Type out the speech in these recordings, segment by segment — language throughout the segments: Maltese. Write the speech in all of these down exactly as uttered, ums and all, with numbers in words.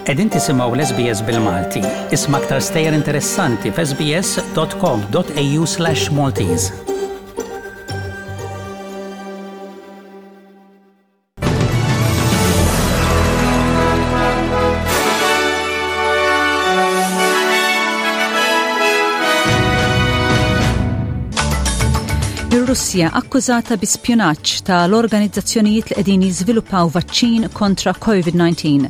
Qegħdin tisimgħu l-S B S bil-Malti. Isma' aktar stejjer interessanti f'S B S dot com dot A U slash Maltese. Ir-Russja akkużata bi spjunaġġ tal-organizzazzjonijiet li qegħdin jiżviluppaw vaċċin kontra COVID nineteen.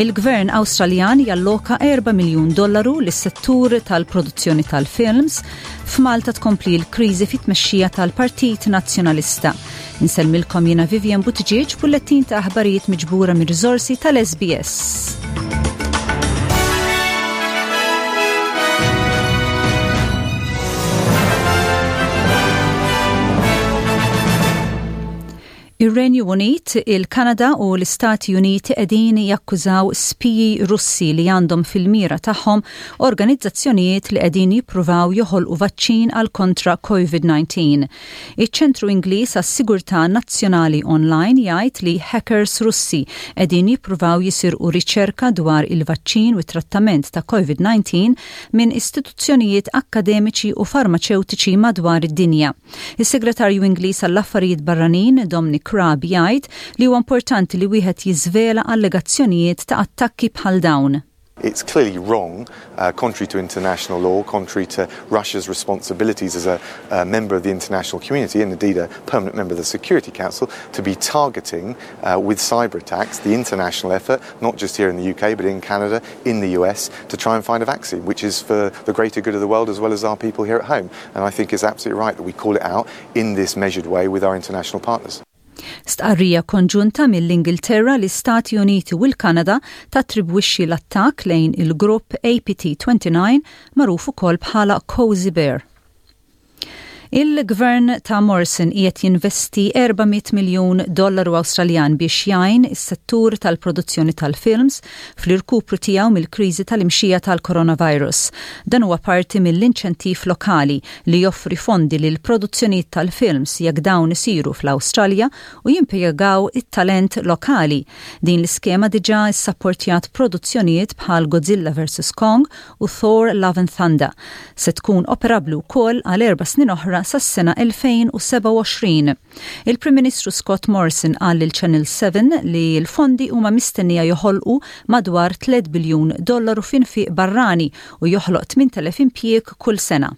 Il-Gvern Awstraljan jalloka erba' miljun dollaru lis-settur tal-produzzjoni tal-films. F'Malta tkompli l-kriżi fit-tmexxija tal-Partit Nazzjonalista. Insellmilkom jiena Vivian Buttigieg, bullettin ta' aħbarijiet miġbura mir riżorsi tal-S B S. Ir-Renju Unit, il-Kanada u l-Istati Uniti qegħdin jakkużaw spiji Russi li għandhom fil-mira tagħhom organizzazzjonijiet li qegħdin jippruvaw joħolqu vaċċin għal kontra COVID nineteen. Iċ-Ċentru Ingliż għas-Sigurtà Nazzjonali Online jgħid li hackers Russi qegħdin jippruvaw jisirqu riċerka dwar il-vaċċin u trattament ta' COVID nineteen minn istituzzjonijiet akademiċi u farmaċewtiċi madwar id-dinja. Is-Segretarju Ingliż għall-Affarijiet Barranin Dominic Raab jgħid li huwa importanti li wieħed jiżvela allegazzjonijiet ta' attakki bħal dawn. It's clearly wrong, uh, contrary to international law, contrary to Russia's responsibilities as a, a member of the international community and indeed a permanent member of the Security Council, to be targeting uh, with cyber attacks the international effort, not just here in the U K, but in Canada, in the U S, to try and find a vaccine, which is for the greater good of the world as well as our people here at home. And I think it's absolutely right that we call it out in this measured way with our international partners. Stqarrija konġunta mill-Ingilterra, l-Istati Uniti u l-Kanada tattribwixxi l-attakk lejn il-grupp A P T twenty-nine, magħruf ukoll bħala Cozy Bear. Il-gvern ta' Morrison qiegħed jinvesti erba' mitt miljun dollaru Awstraljan biex jgħin is-settur tal-produzzjoni tal-films fl-irkupru tiegħu mill-kriżi tal-imxija tal-coronavirus. Dan huwa parti mill-inċentiv lokali li joffri fondi lil produzzjonijiet tal-films jekk dawn isiru fl-Awstralja u jimpjegaw it-talent lokali. Din l-iskema diġà issapportjat produzzjonijiet bħal Godzilla versus. Kong u Thor Love and Thunder. Se tkun operabbli wkoll għal erba' snin oħra sas-sena elfejn u sebgħa u għoxrin. Il-Prim Ministru Scott Morrison qal lil Channel seven li l-fondi huma mistennija joħolqu madwar tliet biljun dollaru f'infiq barrani u joħloq tmint elef impjieg kull sena.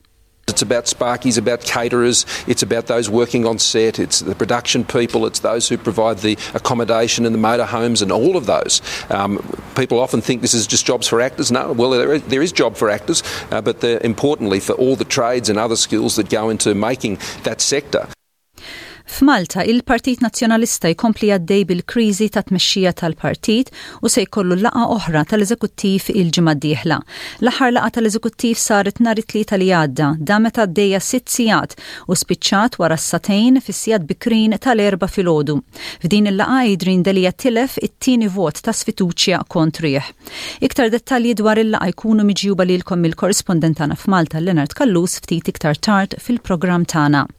It's about sparkies, about caterers, it's about those working on set, it's the production people, it's those who provide the accommodation and the motorhomes and all of those. Um, people often think this is just jobs for actors. No, well, there is, there is job for actors, uh, but importantly for all the trades and other skills that go into making that sector. F'Malta, il-Partit Nazzjonalista jkompli għaddej bil-kriżi ta' tmexxija tal-partit u se jkollu laqgħa oħra tal-eżekuttiv il-ġimgħa d-dieħla. L-aħħar laqgħa tal-eżekuttiv saret nhar it-Tlieta li għadda, damet għaddejja sitt sigħat u spiċċat wara s-sagħtejn fis-sigħat bikrin tal-Erbgħa filgħodu. F'din il-laqgħa Adrian Delia tilef it-tieni vot ta' sfiduċja kontrih. Iktar dettalji dwar il-laqgħa jkunu miġjuba lilkom mill-korrispondent tagħna f'Malta Leonard Callus ftit iktar tard fil-programm tagħna.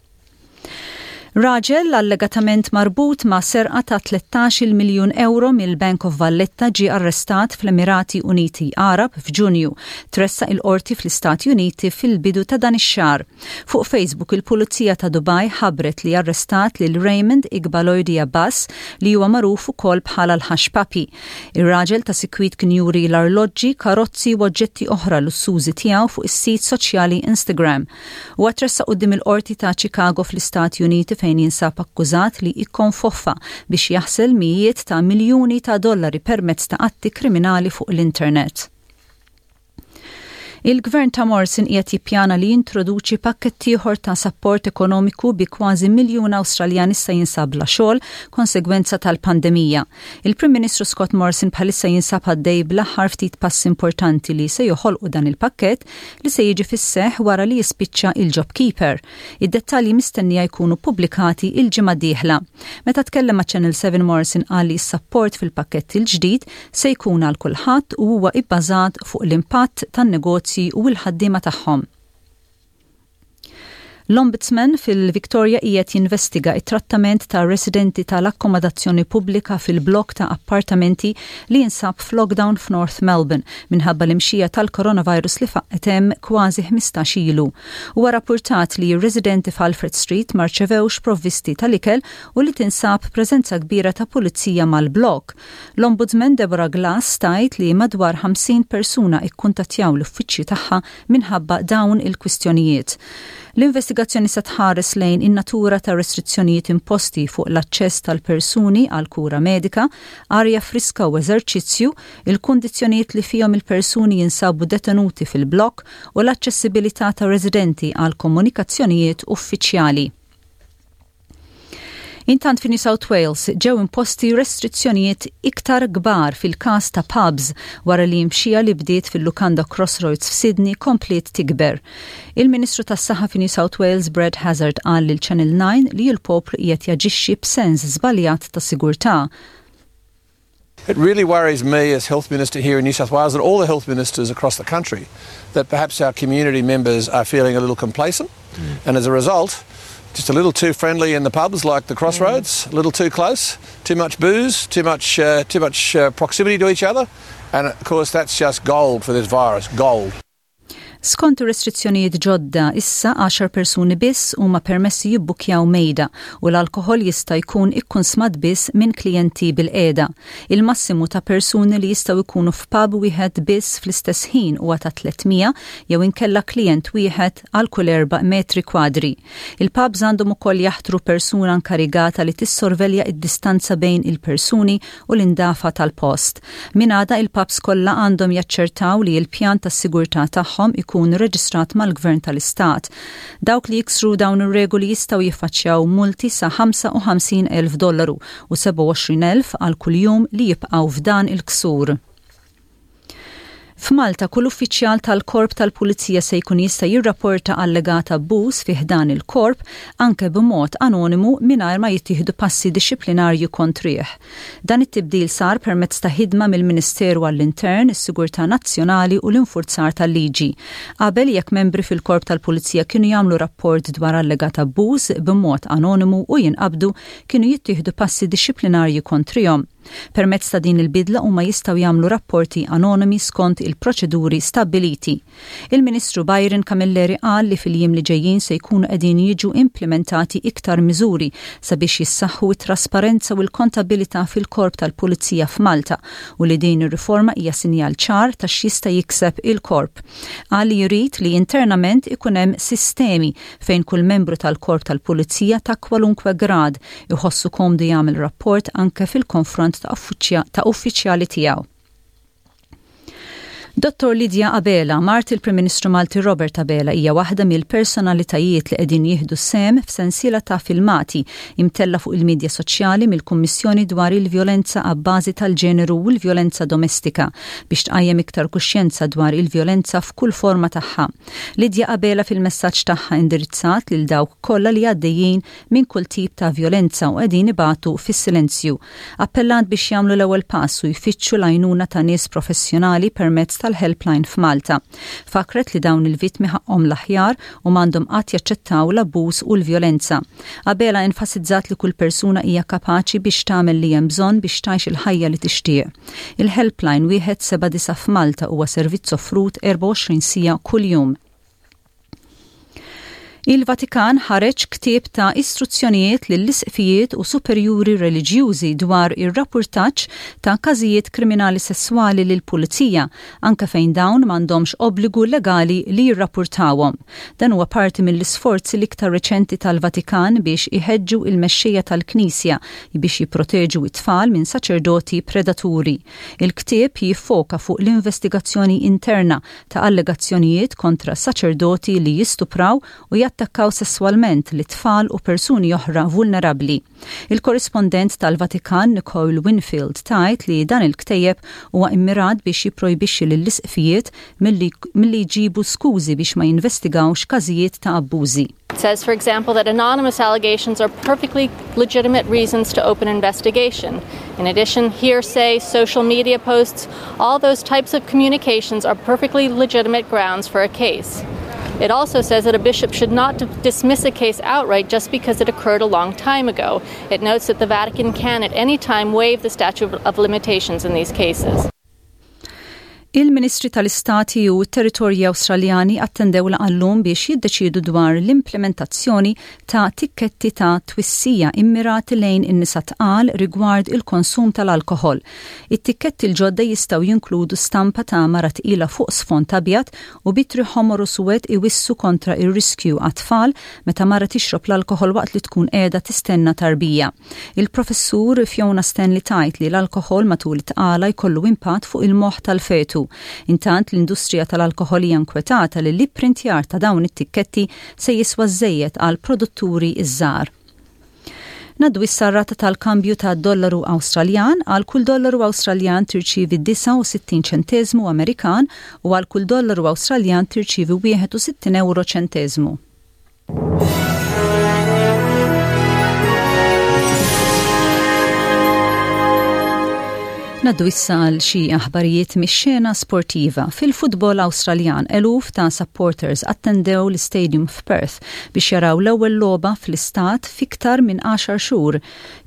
Raġel allegatament marbut ma' serqa ta' tlettax-il miljun euro mill-Bank of Valletta ġi arrestat fl-Emirati Uniti Arab f'Ġunju. Tressaq il-qorti fl-Istati Uniti fil-bidu ta' dan ix-xahar. Fuq Facebook, il-Pulizija ta' Dubai ħabbret li arrestat lil Raymond Igbaloidi Abbas, li huwa magħruf ukoll bħala l-Hushpuppi. Ir-raġel ta' sikwit kien juri l-arloġġi, karozzi u oġġetti oħra lussużi tiegħu fuq is-sit soċjali Instagram. Huwa tressaq quddiem il-qorti ta' Chicago fl-Istati Uniti, fejn jinsab akkużat li ikkonfoffa biex jaħsel mijiet ta' miljuni ta' dollari permezz ta' atti kriminali fuq l-internet. Il-gvern ta' Morrison qiegħed jippjana li jintroduċi pakkett ieħor ta' sapport ekonomiku bi kważi miljun Awstraljan issa jinsab bla xogħol konsegwenza tal-pandemija. Il-Prim Ministru Scott Morrison bħalissa jinsab għaddej bl-aħħar ftit pass importanti li se joħolqu dan il-pakkett li se jiġi fis-seħ wara li jispiċċa il-JobKeeper. Id-dettalji mistennija jkunu pubblikati il-ġimgħa dieħla. Meta tkellem ma' Channel seven, Morrison qal li s-sapport fil-pakkett il-ġdid se jkun għal kulħadd u huwa ibbażat fuq l-impatt tan-negozji u l-ħaddiema tagħhom. L-Ombudsman fil-Victoria qiegħed jinvestiga it-trattament ta' residenti tal-akkomodazzjoni pubblika fil-blok ta' appartamenti li jinsab f'lockdown f'North Melbourne minħabba l-imxija tal-coronavirus li faqqgħet hemm kważi ħmistax ilu. Huwa rapportat li r-residenti f'Alfred Street ma rċevewx provvisti tal-ikel u li tinsab preżenza kbira ta' pulizija mal-blok. L-Ombudsman Deborah Glass tgħid li madwar ħamsin persuna ikkuntattjaw l-uffiċċju tagħha minħabba dawn il-kwistjonijiet. L-investigazzjoni se tħares lejn in-natura ta' restrizzjonijiet imposti fuq l-aċċess tal-persuni għal kura medika, arja friska u eżerċizzju, il-kundizzjonijiet li fihom il-persuni jinsabu detenuti fil-blok u l-aċċessibilità ta' residenti għal komunikazzjonijiet uffiċjali. Intant, fi New South Wales ġew imposti restrizzjonijiet iktar kbar fil-każ ta' pubs wara li imxija li bdiet fil-lukanda Crossroads f'Sydney kompliet tikber. Il-Ministru tas-Saħħa fi New South Wales, Brad Hazard, qal lil Channel nine li l-poplu qiegħed jaġixxi b'sens żbaljat ta' sigurtà. It really worries me as Health Minister here in New South Wales and all the health ministers across the country that perhaps our community members are feeling a little complacent mm. and, as a result, just a little too friendly in the pubs like the Crossroads, mm. a little too close, too much booze, too much, uh, too much uh, proximity to each other. And of course, that's just gold for this virus, gold. Skont restrizzjonijiet ġodda, issa għaxar persuni biss huma permessi jibbukjaw mejda u l-alkoħol jista' jkun ikkunsmat biss minn klijenti bilqiegħda. Il-massimu ta' persuni li jistgħu jkunu f'pub wieħed biss fl-istess ħin huwa ta' tliet mija jew inkella klient wieħed għal kull erba' metri kwadri. Il-pubs għandhom ukoll jaħtru persuna inkarigata li tissorvelja id-distanza bejn il-persuni u l-indafa tal-post. Minn għada, il-pubs kollha għandhom jaċċertaw li l-pjan tas-sigurtà tagħhom ikun reġistrat mal-Gvern tal-Istat. Dawk li jiksru dawn ir-regoli jistgħu jiffaċċjaw multi sa ħamsa u ħamsin elf dollaru u sebgħa u għoxrin elf għal kuljum li jibqgħu f'dan il-ksur. F'Malta, kull uffiċjal tal-korp tal-Pulizija se jkun jista' jirrapporta allegat abbuż fi ħdan il-korp, anke b'mod anonimu, mingħajr ma jittieħdu passi dixxiplinarju kontrih. Dan it-tibdil sar permezz ta' ħidma mill-Ministeru għall-Intern, is-Sigurtà Nazzjonali u l-Infurzar tal-Liġi. Qabel, jekk membri fil-korp tal-Pulizija kienu jagħmlu rapport dwar allegat abbuż b'mod anonimu u jinqabdu, kienu jittieħdu passi dixxiplinarji kontrihom. Permezz ta' din il-bidla, huma jistgħu jagħmlu rapporti anonimi skont il-proċeduri stabiliti. Il-Ministru Byron Camilleri qal li fil-jiem li ġejjin se jkunu qegħdin jiġu implementati iktar miżuri sabiex jissaħħu it-trasparenza u l-kontabilità fil-korp tal-Pulizija f'Malta u li din ir-riforma hija sinjal ċar ta' x'jista' jikseb il-korp. Qal li jrid li internament ikun hemm sistemi fejn kull membru tal-korp tal-Pulizija ta' kwalunkwe grad iħossu komdu jagħmel rapport anke fil-konfront ta' uffiċjali tiegħu. Dottor Lydia Abela, mart il-Prim Ministru Malti Robert Abela, hija waħda mill-personalitajiet li qegħdin jieħdu sehem f'sensiela ta' filmati imtella fuq il-medja soċjali mill-Kummissjoni dwar il-vjolenza abbażi tal-ġeneru u l-vjolenza domestika biex tqajjem iktar kuxjenza dwar il-vjolenza f'kull forma tagħha. Lydia Abela fil-messaġġ tagħha indirizzat lil dawk kollha li għaddejjin minn kull tip ta' vjolenza u qegħdin ibatu fis-silenzju. Appellat biex jagħmlu l-ewwel pass u jfittxu l-għajnuna ta' nies professjonali permezz tal-helpline f'Malta. Fakret li dawn il-vittmi ħaqhom l-aħjar u m'għandhom qatt jaċċettaw l-abbuż u l-vjolenza. Abela enfasizzat li kull persuna hija kapaċi biex tagħmel li hemm bżonn biex tgħix il-ħajja li tixtieq. Il-helpline wieħed seba' disa f'Malta huwa servizz offrut erbgħa u għoxrin siegħa kuljum. Il-Vatikan ħareġ ktieb ta' istruzzjonijiet lill-isqfijiet u superjuri reliġjużi dwar ir-rapportaġġ ta' każijiet kriminali sesswali lil pulizija, anke fejn dawn m'għandhomx obbligu legali li jirrapportawhom. Dan huwa parti mill-isforzi l-iktar reċenti tal-Vatikan biex iħeġġu il-mexxejja tal-Knisja biex jipproteġu it-tfal minn saċerdoti predaturi. Il-ktieb jiffoka fuq l-investigazzjoni interna ta' allegazzjonijiet kontra saċerdoti li jistupraw u jattakkaw sesswalment lit-tfal u persuni oħra vulnerabli. Il-korrispondent tal-Vatikan Nicole Winfield tgħid li dan il-ktejjeb huwa immirat biex jipprojbixxi lill-isqfijiet milli jġibu skużi biex ma jinvestigawx każijiet ta' abbużi. It says, for example, that anonymous allegations are perfectly legitimate reasons to open investigation. In addition, hearsay, social media posts, all those types of communications are perfectly legitimate grounds for a case. It also says that a bishop should not dismiss a case outright just because it occurred a long time ago. It notes that the Vatican can at any time waive the statute of limitations in these cases. Il-Ministri tal-Istati u territorji Awstraljani attendew laqgħa llum biex jiddeċidu dwar l-implementazzjoni ta' tikketti ta' twissija immirati lejn in-nisa tqal rigward il-konsum tal-alkohol. It-tikketti l-ġodda jistgħu jinkludu stampa ta' mara tqila fuq sfond abjad u b'ittri ħomor u suwed iwissu kontra ir-riskju għat-tfal meta mara tixrob l-alkohol waqt li tkun qiegħda tistenna tarbija. Il-professur Fiona Stanley tgħid li l-alkohol matul it-tqala jkollu impatt fuq il-moħħ tal-fetu. Intant, l-industrija tal-alkohol hija nkwetata li l-ipprintjar ta' dawn it-tikketti se jiswa żejjed għal produtturi iż-żgħar. Ngħaddu issa r-rata tal-kambju ta' dollaru Awstraljan. Għal kull dollaru Awstraljan tirċivi disgħa u sittin ċentesmu Amerikan u għal kull dollaru Awstraljan tirċivi wieħed u sittin euro ċentesmu. Ngħaddu issa għal xi aħbarijiet mix-xena sportiva. Fil-futbol Awstraljan, eluf ta' supporters attendew l-stadium f'Perth biex jaraw l-ewwel logħba fl-istat fiktar minn għaxar xhur.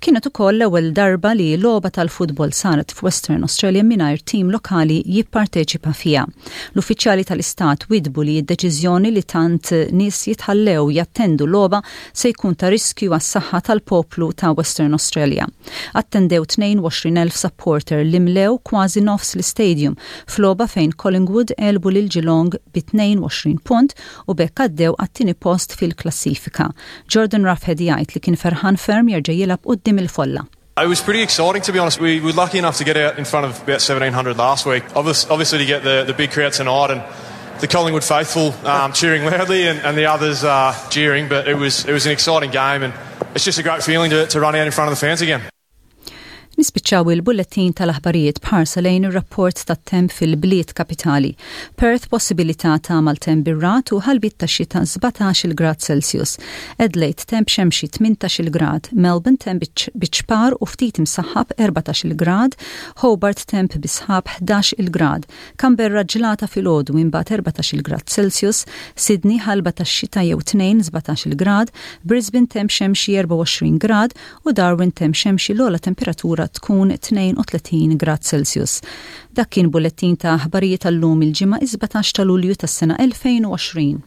Kienet ukoll l-ewwel darba li logħba tal-futbol saret f'Western Australia mingħajr tim lokali jipparteċipa fiha. L-uffiċjali tal-istat widbu li d-deċiżjoni li tant nies jitħallew jattendu logħba se jkun ta' riskju għas-saħħa tal-poplu ta' Western Australia. Attendew tnejn u għoxrin elf supporter li mlew kważi nofs l-stadium f'logħba fejn Collingwood għelbu lil Geelong bi tnejn u għoxrin punt u b'hekk għaddew għat-tieni post fil-klassifika. Jordan Ruffhead jgħid li kien ferħan ferm jerġa' jilgħab quddiem il-folla. It was pretty exciting, to be honest. We were lucky enough to get out in front of about seventeen hundred last week. Obviously, to get the, the big crowd tonight and the Collingwood faithful um, cheering loudly and, and the others uh, jeering, but it was, it was an exciting game and it's just a great feeling to, to run out in front of the fans again. Nispiċċaw il-bullettin tal-aħbarijiet b'ħarsa lejn ir-rapport tat-temp fil-bliet kapitali. Perth, possibilità ta' maltemp bir-ragħad u ħalbiet ta' xita, sbatax-il grad Celsius. Adelaide, temp xemxi, tmintax-il grad. Melbourne, temp biċ-ċpar u ftit imsaħħab, erbatax-il grad. Hobart, temp bis-sħab, ħdax-il grad. Canberra, ġlata filgħodu, imbagħad erbatax-il grad Celsius. Sydney, ħalba ta' xita jew tnejn, sbatax-il grad. Brisbane, temp xemxi, erbgħa u għoxrin grad u Darwin, temp xemxi, l-ogħla temperatura tkun tnejn u tletin grad Celsius. Dak kien bullettin ta' aħbarijiet tal-lum, il-Ġimgħa is-sbatax ta' Lulju tas-sena elfejn u għoxrin.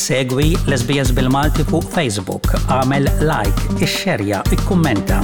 Segwi l-S B S bil-Malti fuq Facebook, għamel like, ixxerja, ikkummenta.